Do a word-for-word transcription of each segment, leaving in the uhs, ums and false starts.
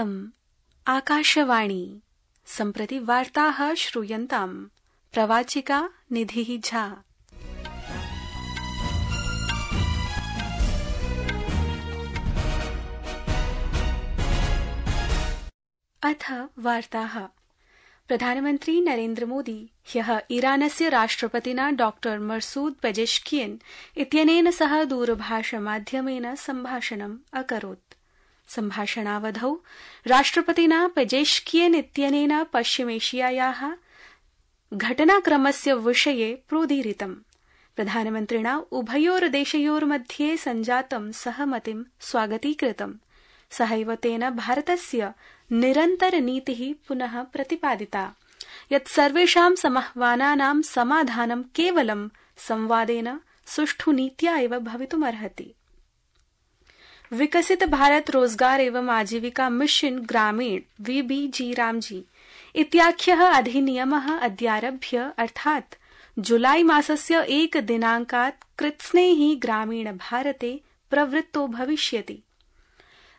इयम् आकाशवाणी। सम्प्रति वार्ताः श्रूयन्ताम्। प्रवाचिका निधिः झा। अथ वार्ताः। प्रधानमन्त्री नरेन्द्र मोदी ह्यः ईरानस्य राष्ट्रपतिना डॉक्टर मसूद पेजेश्कियन् इत्यनेन सह दूरभाषमाध्यमेन सम्भाषणम् अकरोत्। सम्भाषणावधौ राष्ट्रपतिना पेजेश्कियन् इत्यनेन पश्चिमेशियायाः घटनाक्रमस्य विषये प्रोदीरितम्। प्रधानमन्त्रिणा उभयोर्देशयोर्मध्ये सञ्जातं सहमतिं स्वागतीकृतम्। सहैव तेन भारतस्य निरन्तरनीतिः पुनः प्रतिपादिता यत् सर्वेषां समाह्वानानां समाधानं केवलं संवादेन सुष्ठु नीत्या एव भवितुमर्हति। विकसित भारत रोजगार एवं आजीविका मिशन ग्रामीण वीबीजी रामजी इत्याख्यः अधिनियमः अद्यारभ्य अर्थात् जुलाई मासस्य एक दिनाङ्कात् कृत्स्नेः ग्रामीण भारते प्रवृत्तो भविष्यति।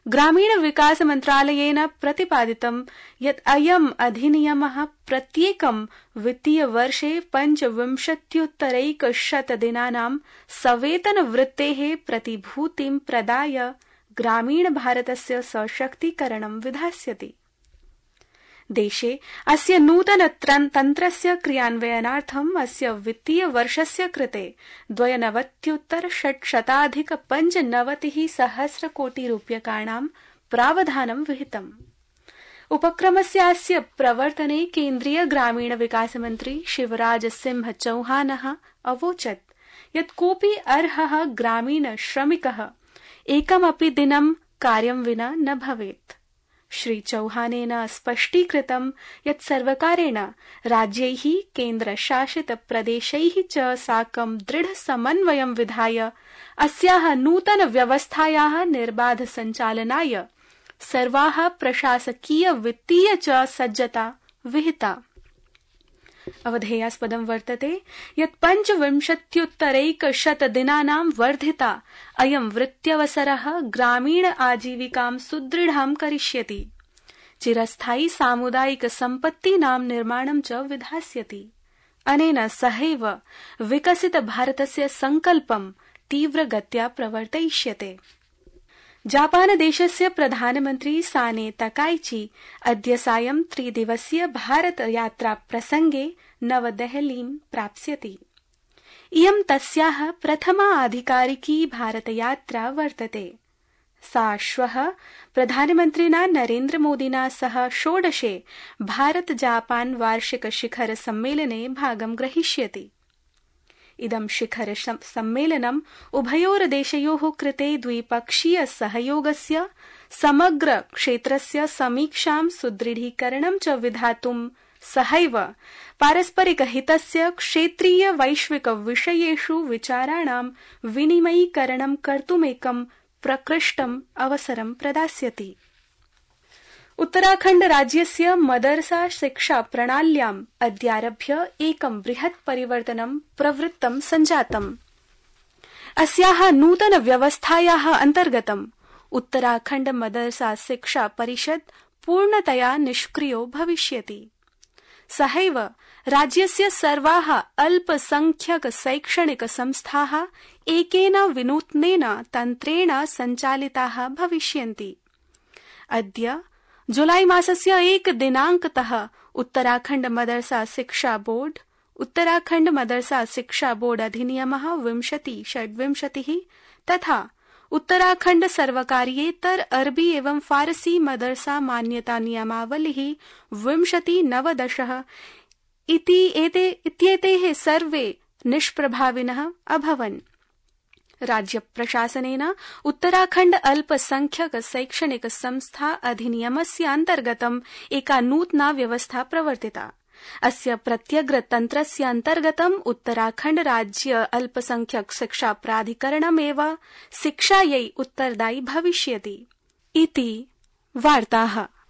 ग्रामीण विकास मन्त्रालयेन प्रतिपादितं यत् अयम् अधिनियमः प्रत्येकं वित्तीयवर्षे पञ्चविंशत्युत्तरैकशतदिनानां सवेतनवृत्तेः प्रतिभूतिं प्रदाय ग्रामीण भारतस्य सशक्तीकरणं विधास्यति। देशे अस्य नूतन तन्त्रस्य क्रियान्वयनार्थम् अस्य वित्तीयवर्षस्य कृते द्वयनवत्युत्तर षट्शताधिक पञ्चनवतिः सहस्रकोटिरूप्यकाणां प्रावधानं विहितम्। उपक्रमस्यास्य प्रवर्तने केन्द्रीय ग्रामीण विकास मन्त्री शिवराज सिंह चौहानः अवोचत् यत् कोऽपि अर्हः ग्रामीण श्रमिकः एकमपि दिनं कार्यं विना न भवेत्। श्री चौहानेन स्पष्टीकृतं यत् सर्वकारेण राज्यैः केन्द्रशासित प्रदेशैः च साकं दृढ समन्वयं विधाय अस्याः नूतन व्यवस्थायाः निर्बाध सञ्चालनाय सर्वाः प्रशासकीय वित्तीय च सज्जता विहिता। अवधेयास्पदं वर्तते यत् पञ्चविंशत्युत्तरैकशतदिनानां वर्धिता अयं वृत्त्यवसरः ग्रामीण आजीविकां सुदृढां करिष्यति। चिरस्थायी सामुदायिक सम्पत्तीनां निर्माणं च विधास्यति। अनेन सहैव विकसित भारतस्य सङ्कल्पं तीव्रगत्या प्रवर्तयिष्यते। जापानदेशस्य प्रधानमन्त्री साने तकाइची अद्य सायं त्रिदिवसीय भारत यात्रा प्रसंगे नवदेहलीं प्राप्स्यति। इयं तस्याः प्रथमा आधिकारिकी भारतयात्रा वर्तते। सा श्वः प्रधानमन्त्रिणा नरेन्द्र मोदिना सह षोडशे भारत जापान वार्षिक शिखर सम्मेलने भागं ग्रहीष्यति। इदं शिखर सम्मेलनम् उभयोर्देशयोः कृते द्विपक्षीय सहयोगस्य समग्र क्षेत्रस्य समीक्षां सुदृढीकरणं च विधातुं सहैव पारस्परिकहितस्य क्षेत्रीय वैश्विक विषयेषु विचाराणां विनिमयीकरणं कर्तुमेकं प्रकृष्टम् अवसरं प्रदास्यति। उत्तराखण्ड राज्यस्य मदरसा शिक्षा प्रणाल्याम् अद्यारभ्य एकं बृहत् परिवर्तनं प्रवृत्तं सञ्जातम्। अस्याः नूतन व्यवस्थायाः अन्तर्गतम् उत्तराखण्ड मदरसा शिक्षा परिषद् पूर्णतया निष्क्रियो भविष्यति। सहैव राज्यस्य सर्वाः अल्पसंख्यक शैक्षणिक संस्थाः एकेन विनूत्नेन तन्त्रेण सञ्चालिताः भविष्यन्ति। अद्य जुलाई मासस्य एक दिनाङ्कतः उत्तराखण्ड मदरसा शिक्षा बोर्ड उत्तराखण्ड मदरसा शिक्षा बोर्ड अधिनियमः विंशति षड्विंशतिः तथा उत्तराखण्ड सर्वकारीयेतर अरबी एवं फारसी मदरसा मान्यता नियमावलिः विंशति नवदशः इति एते इत्येतेः सर्वे निष्प्रभाविनः अभवन्। राज्य प्रशासनेन उत्तराखण्ड अल्पसंख्यक शैक्षणिक संस्था अधिनियमस्य अन्तर्गतम् एका नूतना व्यवस्था प्रवर्तिता। अस्य प्रत्यग्रतन्त्रस्य अन्तर्गतम् उत्तराखण्ड राज्य अल्पसंख्यक शिक्षा प्राधिकरणमेव शिक्षायै उत्तरदायी भविष्यति इति वार्ताः।